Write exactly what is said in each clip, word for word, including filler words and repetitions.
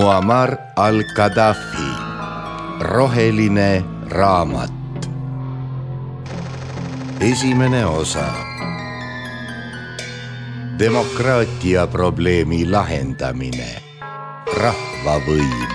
Muammar al-Gaddafi, roheline raamat. Esimene osa. Demokraatia probleemi lahendamine. Rahvavõim.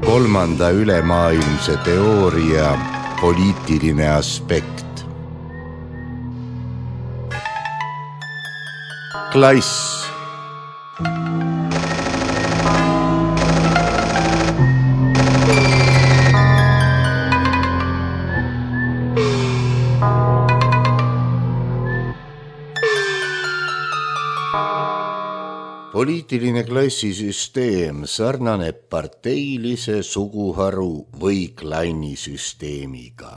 Kolmanda ülemaailmse teooria poliitiline aspekt. Klass. Poliitiline klassisüsteem sarnaneb parteilise suguharu või klannisüsteemiga.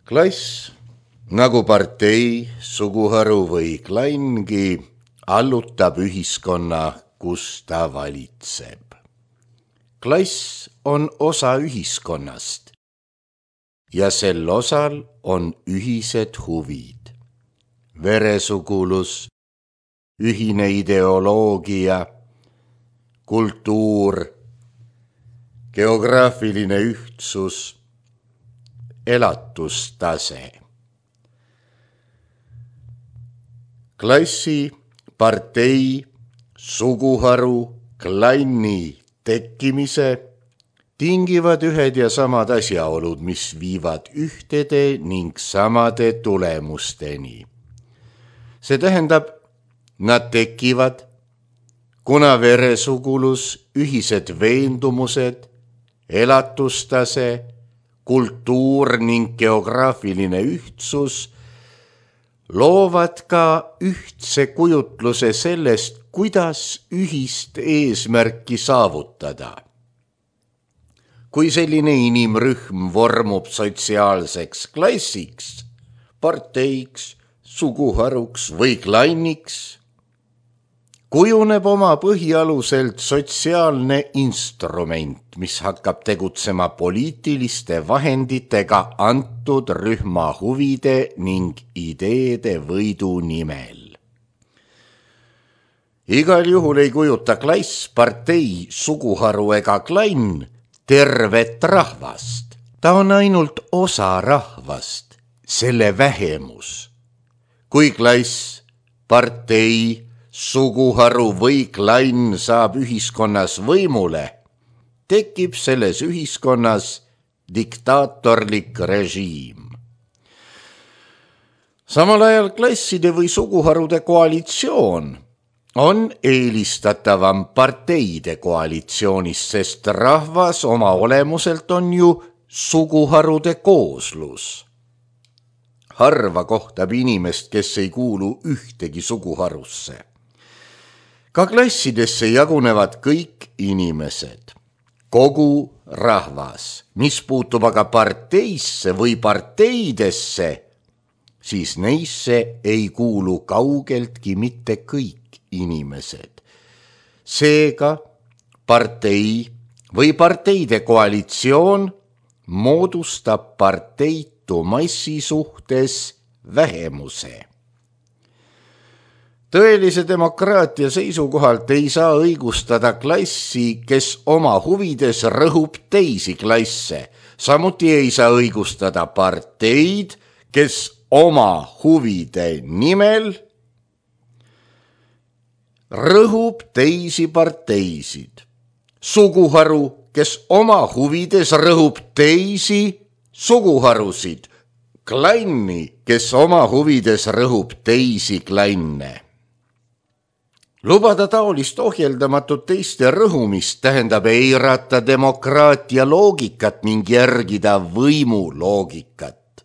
Klass, nagu partei, suguharu või klanngi, allutab ühiskonna, kus ta valitseb. Klass on osa ühiskonnast ja sel osal on ühised huvid, veresugulus, ühine ideoloogia, kultuur, geograafiline ühtsus, elatustase. Klassi, partei, suguharu, klanni tekkimise tingivad ühed ja samad asjaolud, mis viivad ühtede ning samade tulemusteni. See tähendab, nad tekivad, kuna veresugulus, ühised veendumused, elatustase, kultuur ning geograafiline ühtsus loovad ka ühtse kujutluse sellest, kuidas ühist eesmärki saavutada. Kui selline inimrühm vormub sotsiaalseks klassiks, parteiks, suguharuks või klanniks, kujuneb oma põhialuselt sotsiaalne instrument, mis hakkab tegutsema poliitiliste vahenditega antud rühma huvide ning ideede võidu nimel. Igal juhul ei kujuta klass, partei, suguharu ega klann tervet rahvast. Ta on ainult osa rahvast, selle vähemus. Kui klass, partei, suguharu või klann saab ühiskonnas võimule, tekib selles ühiskonnas diktaatorlik režiim. Samal ajal klasside või suguharude koalitsioon on eelistatavam parteide koalitsioonist, sest rahvas oma olemuselt on ju suguharude kooslus. Harva kohtab inimest, kes ei kuulu ühtegi suguharusse. Ka klassidesse jagunevad kõik inimesed, kogu rahvas. Mis puutub aga parteisse või parteidesse, siis neisse ei kuulu kaugeltki mitte kõik inimesed. Seega partei või parteide koalitsioon moodustab parteitu massi suhtes vähemuse. Tõelise demokraatia seisukohalt ei saa õigustada klassi, kes oma huvides rõhub teisi klasse. Samuti ei saa õigustada parteid, kes oma huvide nimel rõhub teisi parteisid. Suguharu, kes oma huvides rõhub teisi suguharusid. Klanni, kes oma huvides rõhub teisi klanne. Lubada taolist ohjeldamatut teiste rõhumist tähendab eirata demokraatia loogikat ning järgida võimu loogikat.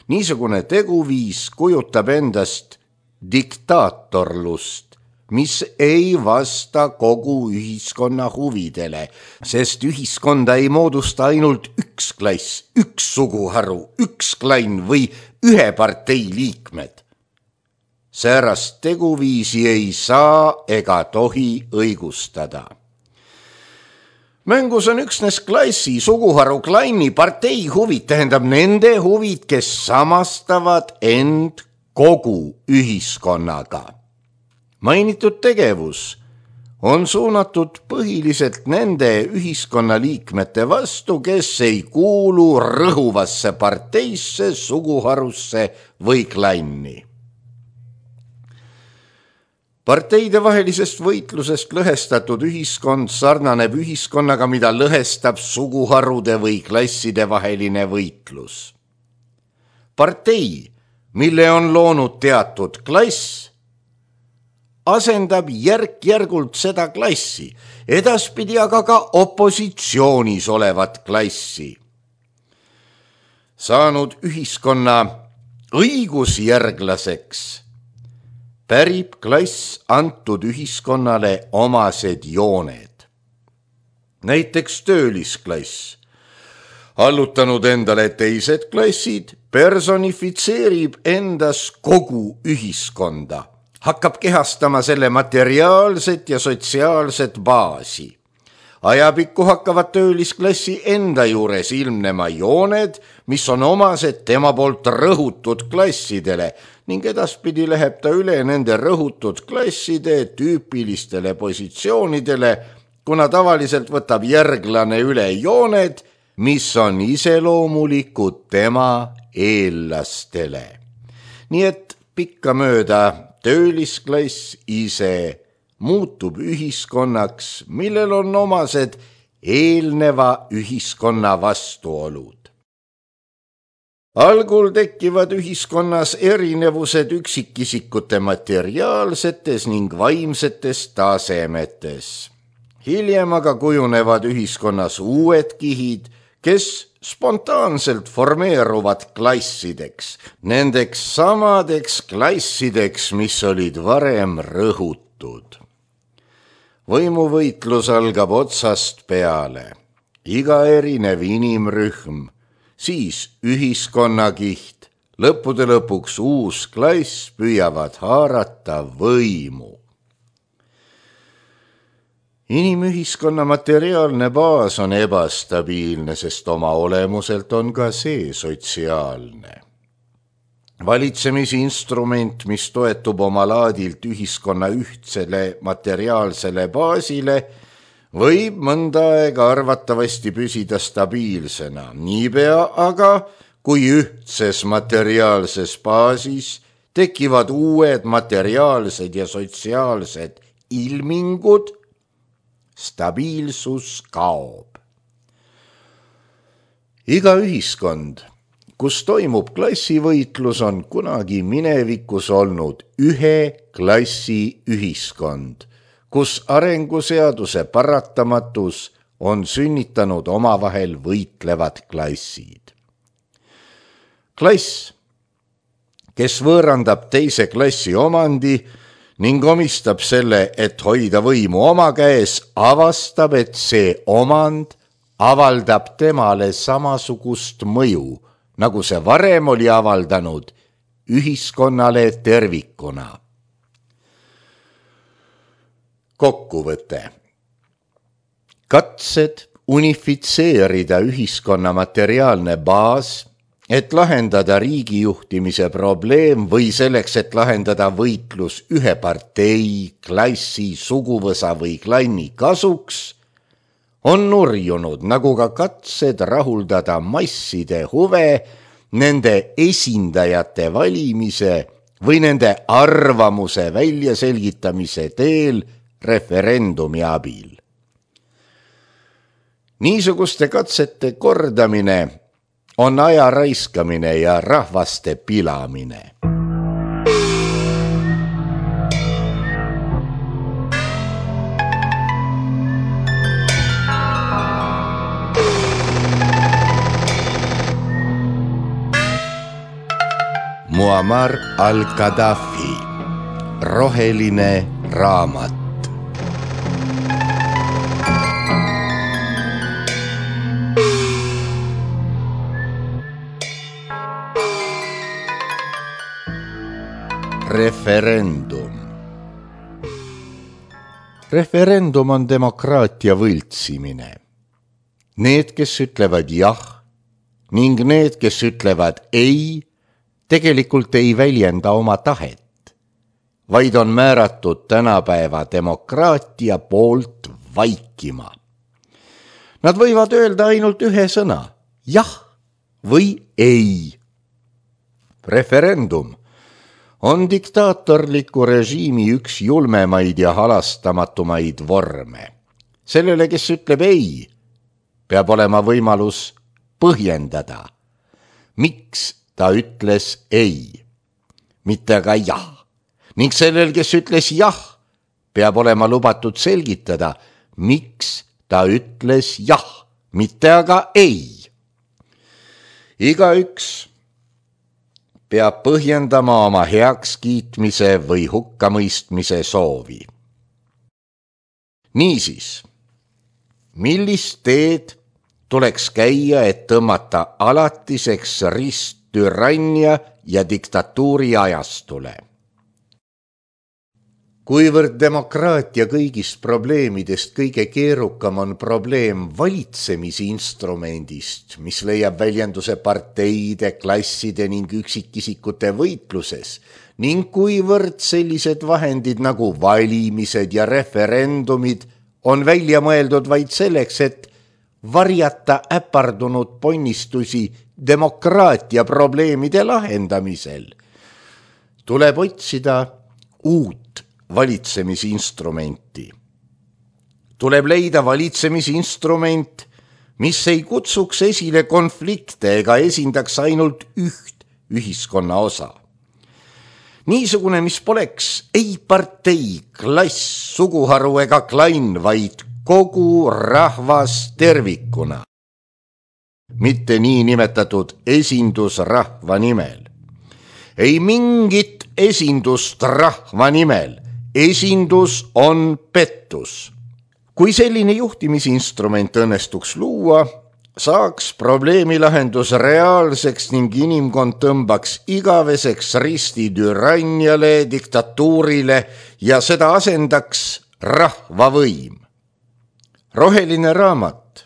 Niisugune teguviis kujutab endast diktaatorlust, mis ei vasta kogu ühiskonna huvidele, sest ühiskonda ei moodusta ainult üks klass, üks suguharu, üks klann või ühe partei liikmed. Säärast teguviisi ei saa ega tohi õigustada. Mängus on üksnes klassi, suguharu, klanni, partei huvid, tähendab nende huvid, kes samastavad end kogu ühiskonnaga. Mainitud tegevus on suunatud põhiliselt nende ühiskonnaliikmete vastu, kes ei kuulu rõhuvasse parteisse, suguharusse või klanni. Parteide vahelisest võitlusest lõhestatud ühiskond sarnaneb ühiskonnaga, mida lõhestab suguharude või klasside vaheline võitlus. Partei, mille on loonud teatud klass, asendab järk-järgult seda klassi, edaspidi aga ka opositsioonis olevat klassi. Saanud ühiskonna õigusjärglaseks, pärib klass antud ühiskonnale omased jooned. Näiteks töölisklass, allutanud endale teised klassid, personifitseerib endas kogu ühiskonda, hakkab kehastama selle materiaalset ja sotsiaalset baasi. Ajapikku hakkavad töölisklassi enda juures ilmnema jooned, mis on omased tema poolt rõhutud klassidele ning edaspidi läheb ta üle nende rõhutud klasside tüüpilistele positsioonidele, kuna tavaliselt võtab järglane üle jooned, mis on iseloomulikud tema eellastele. Nii et pikkamööda töölisklass ise muutub ühiskonnaks, millel on omased eelneva ühiskonna vastuolud. Algul tekivad ühiskonnas erinevused üksikisikute materiaalsetes ning vaimsetes tasemetes. Hiljem aga kujunevad ühiskonnas uued kihid, kes spontaanselt formeeruvad klassideks, nendeks samadeks klassideks, mis olid varem rõhutud. Võimuvõitlus algab otsast peale, iga erinev inimrühm, siis ühiskonnakiht, lõppude lõpuks uus klass püüavad haarata võimu. Inimühiskonna materiaalne baas on ebastabiilne, sest oma olemuselt on ka see sotsiaalne. Valitsemisinstrument, mis toetub oma laadilt ühiskonna ühtsele materiaalsele baasile, võib mõnda aega arvatavasti püsida stabiilsena. Niipea aga, kui ühtses materiaalses baasis tekivad uued materiaalsed ja sotsiaalsed ilmingud, stabiilsus kaob. Iga ühiskond, kus toimub klassivõitlus, on kunagi minevikus olnud ühe klassi ühiskond, kus arenguseaduse paratamatus on sünnitanud omavahel võitlevad klassid. Klass, kes võõrandab teise klassi omandi ning omistab selle, et hoida võimu oma käes, avastab, et see omand avaldab temale samasugust mõju, nagu see varem oli avaldanud ühiskonnale tervikuna. Kokkuvõte. Katsed unifitseerida ühiskonna materiaalne baas, et lahendada riigijuhtimise probleem või selleks, et lahendada võitlus ühe partei, klassi, suguvõsa või klanni kasuks, on nurjunud, nagu ka katsed rahuldada masside huve nende esindajate valimise või nende arvamuse väljaselgitamise teel referendumi abil. Niisuguste katsete kordamine on aja raiskamine ja rahvaste pilamine. Muammar al-Gaddafi, roheline raamat. Referendum. Referendum on demokraatia võltsimine. Need, kes ütlevad jah, ning need, kes ütlevad ei, tegelikult ei väljenda oma tahet, vaid on määratud tänapäeva demokraatia poolt vaikima. Nad võivad öelda ainult ühe sõna, jah või ei. Referendum on diktaatorliku režiimi üks julmemaid ja halastamatumaid vorme. Sellele, kes ütleb ei, peab olema võimalus põhjendada, miks ta ütles ei, mitte aga jah. Ning sellel, kes ütles jah, peab olema lubatud selgitada, miks ta ütles jah, mitte aga ei. Igaüks peab põhjendama oma heakskiitmise või hukkamõistmise soovi. Niisiis, millist teed tuleks käia, et tõmmata alatiseks rist türannia ja diktatuuri ajastule? Kuivõrd demokraatia kõigist probleemidest kõige keerukam on probleem valitsemisinstrumendist, mis leiab väljenduse parteide, klasside ning üksikisikute võitluses, ning kuivõrd sellised vahendid nagu valimised ja referendumid on välja mõeldud vaid selleks, et varjata äpardunud ponnistusi demokraatia probleemide lahendamisel, tuleb otsida uut valitsemisinstrumenti. Tuleb leida valitsemisinstrument, mis ei kutsuks esile konflikte ega esindaks ainult üht ühiskonna osa. Niisugune, mis poleks ei partei, klass, suguharu ega klann, vaid kogu rahvas tervikuna. Mitte nii nimetatud esindus rahva nimel. Ei mingit esindust rahva nimel. Esindus on pettus. Kui selline juhtimisinstrument õnnestuks luua, saaks probleemi lahendus reaalseks ning inimkond tõmbaks igaveseks risti türanniale, diktatuurile ja seda asendaks rahvavõim. Roheline raamat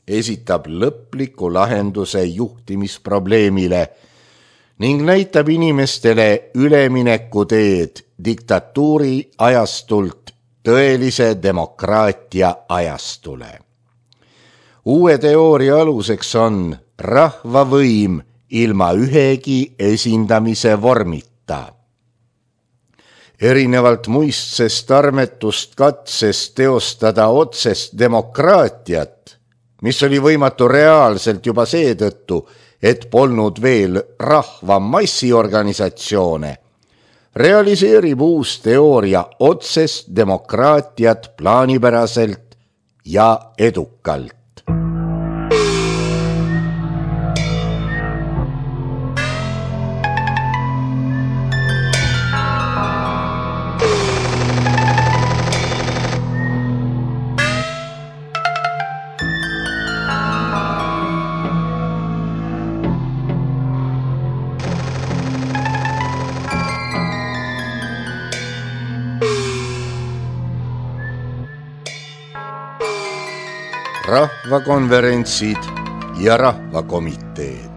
esitab lõpliku lahenduse juhtimisprobleemile ning näitab inimestele üleminekuteed diktatuuri ajastult tõelise demokraatia ajastule. Uue teooria aluseks on rahvavõim ilma ühegi esindamise vormita. Erinevalt muistsest armetust katsest teostada otsest demokraatiat, mis oli võimatu reaalselt juba seetõttu, et polnud veel rahva massiorganisatsioone, realiseerib uus teooria otsest demokraatiat plaanipäraselt ja edukalt. Rahvakonverentsid ja rahvakomiteed.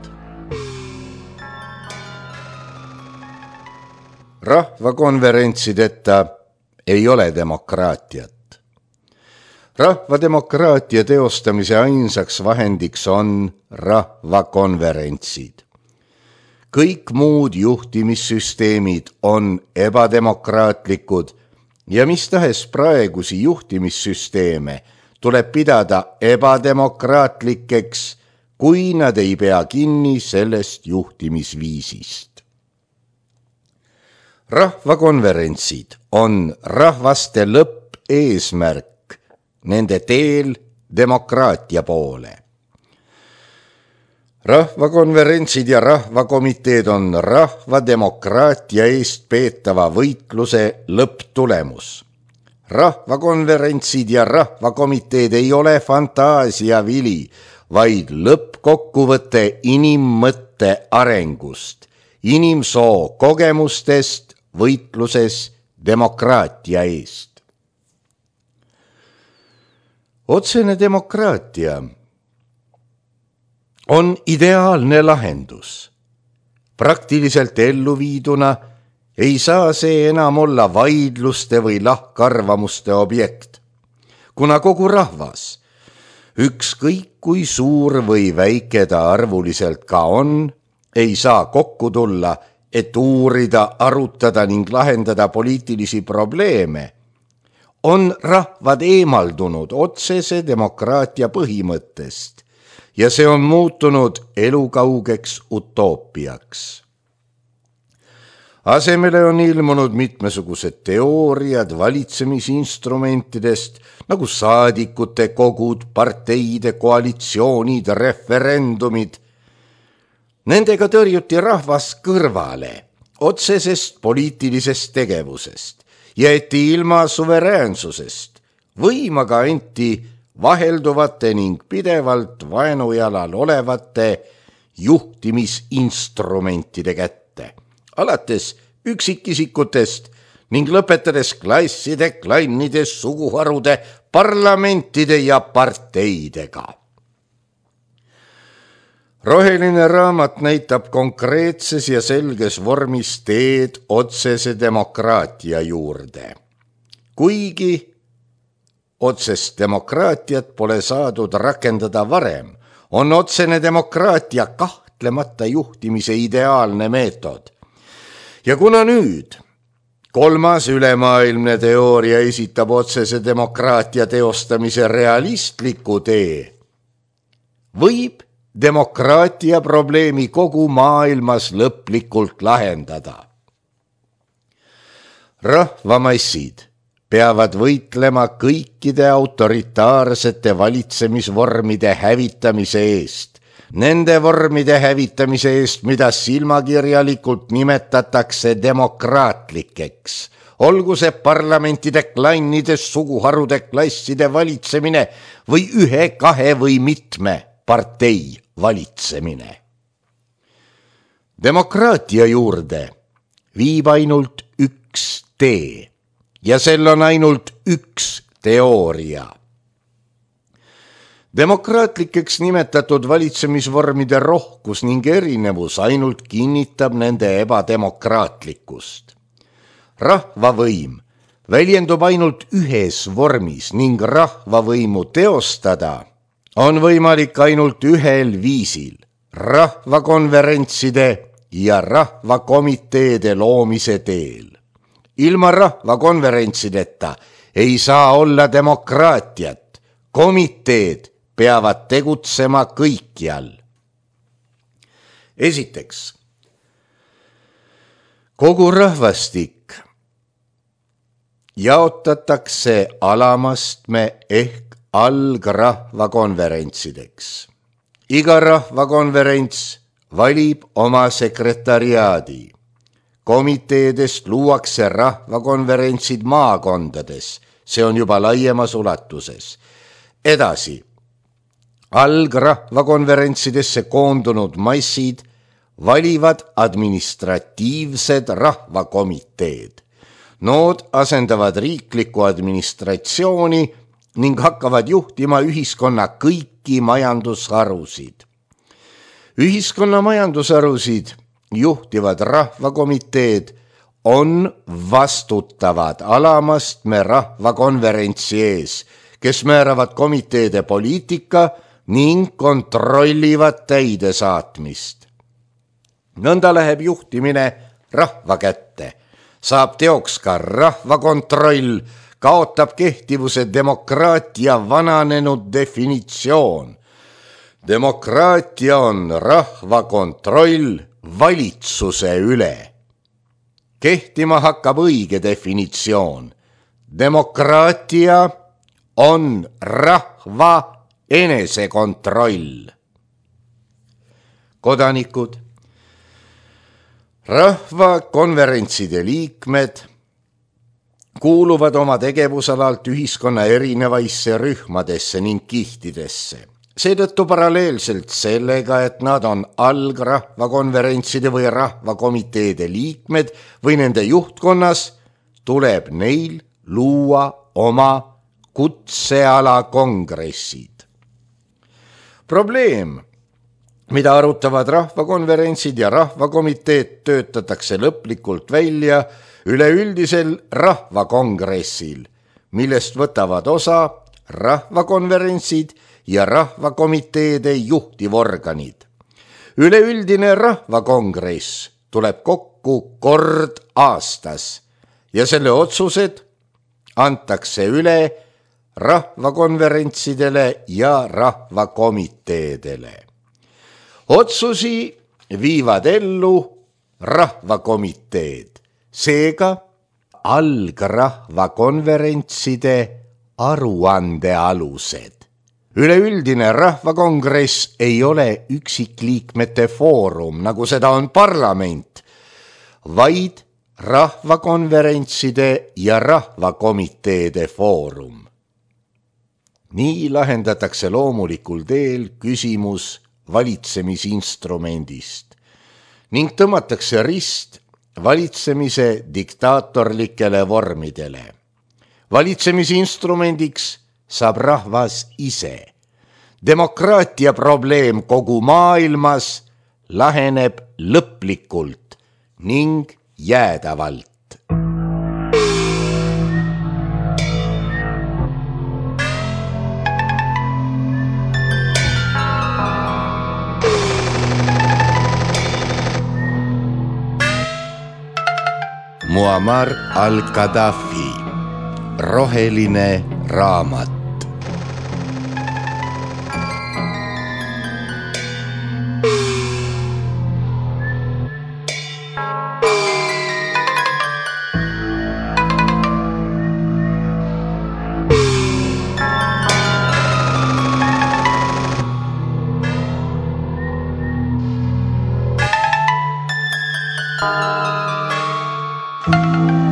Rahvakonverentsideta ei ole demokraatiat. Rahvademokraatia teostamise ainsaks vahendiks on rahvakonverentsid. Kõik muud juhtimissüsteemid on ebademokraatlikud ja mis tahes praegusi juhtimissüsteeme tuleb pidada ebademokraatlikeks, kui nad ei pea kinni sellest juhtimisviisist. Rahvakonverentsid on rahvaste lõppeesmärk nende teel demokraatia poole. Rahvakonverentsid ja rahvakomiteed on rahvademokraatia eest peetava võitluse lõpptulemus. Rahvakonverentsid ja rahvakomiteed ei ole fantaasia vili, vaid lõppkokkuvõte inimmõtte arengust, inimsoo kogemustest võitluses demokraatia eest. Otsene demokraatia on ideaalne lahendus. Praktiliselt ellu viiduna ei saa see enam olla vaidluste või lahkarvamuste objekt, kuna kogu rahvas, ükskõik kui suur või väike ta arvuliselt ka on, ei saa kokku tulla, et uurida, arutada ning lahendada poliitilisi probleeme, on rahvad eemaldunud otsese demokraatia põhimõttest ja see on muutunud elukaugeks utoopiaks. Asemele on ilmunud mitmesugused teooriad valitsemisinstrumentidest nagu saadikute kogud, parteide koalitsioonid, referendumid. Nendega tõrjuti rahvas kõrvale otsesest poliitilisest tegevusest ja eti ilma suveräänsusest, võimaga anti vahelduvate ning pidevalt vaenujalal olevate juhtimisinstrumentide kätte, alates üksikisikutest ning lõpetades klasside, klannide, suguharude, parlamentide ja parteidega. Roheline raamat näitab konkreetses ja selges vormis teed otsese demokraatia juurde. Kuigi otsest demokraatiat pole saadud rakendada varem, on otsene demokraatia kahtlemata juhtimise ideaalne meetod. Ja kuna nüüd kolmas ülemaailmne teooria esitab otsese demokraatia teostamise realistliku tee, võib demokraatia probleemi kogu maailmas lõplikult lahendada. Rahvamassid peavad võitlema kõikide autoritaarsete valitsemisvormide hävitamise eest, nende vormide hävitamise eest, mida silmakirjalikult nimetatakse demokraatlikeks, olgu see parlamentide, klannide, suguharude, klasside valitsemine või ühe, kahe või mitme partei valitsemine. Demokraatia juurde viib ainult üks tee ja sel on ainult üks teooria. Demokraatlikeks nimetatud valitsemisvormide rohkus ning erinevus ainult kinnitab nende ebademokraatlikkust. Rahvavõim väljendub ainult ühes vormis ning rahvavõimu teostada on võimalik ainult ühel viisil, rahvakonverentside ja rahvakomiteede loomise teel. Ilma rahvakonverentsideta ei saa olla demokraatiat, komiteed peavad tegutsema kõikjal. Esiteks, kogu rahvastik jaotatakse alamastme ehk algrahvakonverentsideks. Iga rahvakonverents valib oma sekretariaadi. Komiteedest luuakse rahvakonverentsid maakondades, see on juba laiemas ulatuses. Edasi, algrahvakonverentsidesse koondunud massid valivad administratiivsed rahvakomiteed. Nood asendavad riiklikku administratsiooni ning hakkavad juhtima ühiskonna kõiki majandusharusid. Ühiskonna majandusharusid juhtivad rahvakomiteed on vastutavad alamastme rahvakonverentsi ees, kes määravad komiteede poliitika ning kontrollivad täidesaatmist. Nõnda läheb juhtimine rahva kätte, saab teoks ka rahvakontroll, kaotab kehtivuse demokraatia vananenud definitsioon. Demokraatia on rahva kontroll valitsuse üle. Kehtima hakkab õige definitsioon. Demokraatia on rahva enesekontroll. Kodanikud, rahvakonverentside liikmed kuuluvad oma tegevusalalt ühiskonna erinevaisse rühmadesse ning kihtidesse. Seetõttu paralleelselt sellega, et nad on algrahvakonverentside või rahvakomiteede liikmed või nende juhtkonnas, tuleb neil luua oma kutseala kongressid. Probleem mida arutavad rahvakonverentsid ja rahvakomiteed, töötatakse lõplikult välja üleüldisel rahvakongressil, millest võtavad osa rahvakonverentsid ja rahvakomiteede juhtivorganid. Üleüldine rahvakongress tuleb kokku kord aastas ja selle otsused antakse üle rahvakonverentsidele ja rahvakomiteedele. Otsusi viivad ellu rahvakomiteed, seega algrahvakonverentside aruandealused. Üleüldine rahvakongress ei ole üksikliikmete foorum, nagu seda on parlament, vaid rahvakonverentside ja rahvakomiteede foorum. Nii lahendatakse loomulikul teel küsimus valitsemisinstrumendist ning tõmmatakse rist valitsemise diktaatorlikele vormidele. Valitsemisinstrumendiks saab rahvas ise. Demokraatia probleem kogu maailmas laheneb lõplikult ning jäädavalt. Muammar al-Gaddafi, roheline raamat. Thank you.